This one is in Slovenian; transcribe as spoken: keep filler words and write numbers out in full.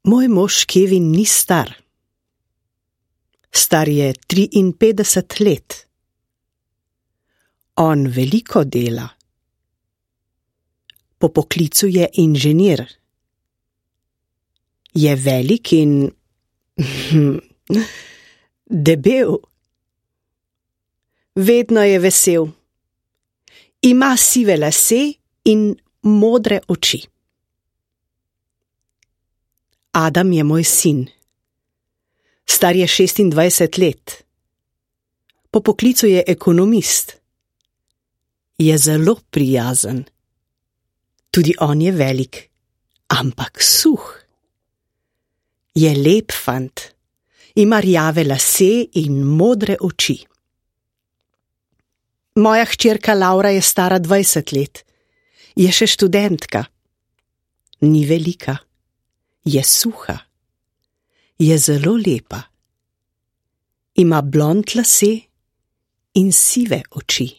Moj mož Kevin ni star. Star je triinpetdeset let. On veliko dela. Po poklicu je inženir. Je velik in debel. Vedno je vesel. Ima sive lase in modre oči. Adam je moj sin. Star je šestindvajset let. Po poklicu je ekonomist. Je zelo prijazen. Tudi on je velik, ampak suh. Je lep fant. Ima rjave lase in modre oči. Moja hčerka Laura je stara dvajset let. Je še študentka. Ni velika. Je suha. Je zelo lepa. Ima blond lase in sive oči.